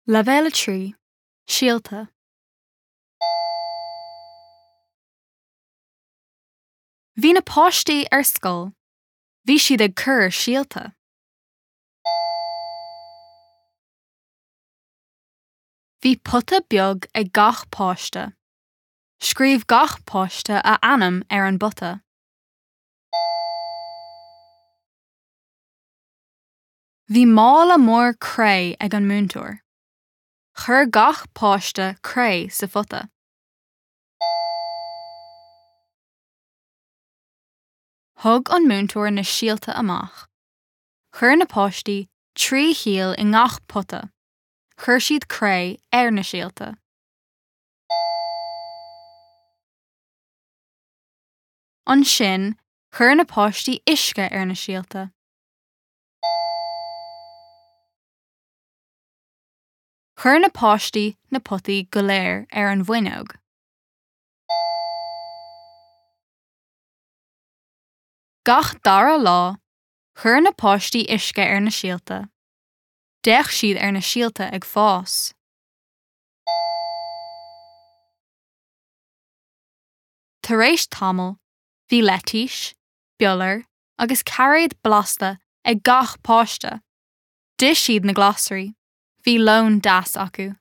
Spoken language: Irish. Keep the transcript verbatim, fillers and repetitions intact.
Leibhéal a trí, Síolta. Bhí na páistí ar scoil. Bhí siad ag cur síolta. Bhí pota beag ag gach páiste. Scríobh gach páiste a ainm ar an bpota. Bhí mála mór cré ag an múinteoir. Chuir gach páiste cré sa phota. Thug an múinteoir na síolta amach. Chuir na páistí trí shíol i ngach pota. Chuir siad cré ar na síolta. Ansin, chuir na páistí uisce ar na síolta. Chuir na páistí na potaí go léir ar an bhfuinneog. Gach dara lá, chuir na páistí uisce ar na síolta. D'fhéach siad ar na síolta ag fás. Tar éis tamaill, bhí leitís, biolar agus cairéad blasta ag gach páiste. D'ith siad na glasraí. Bhí lón deas acu.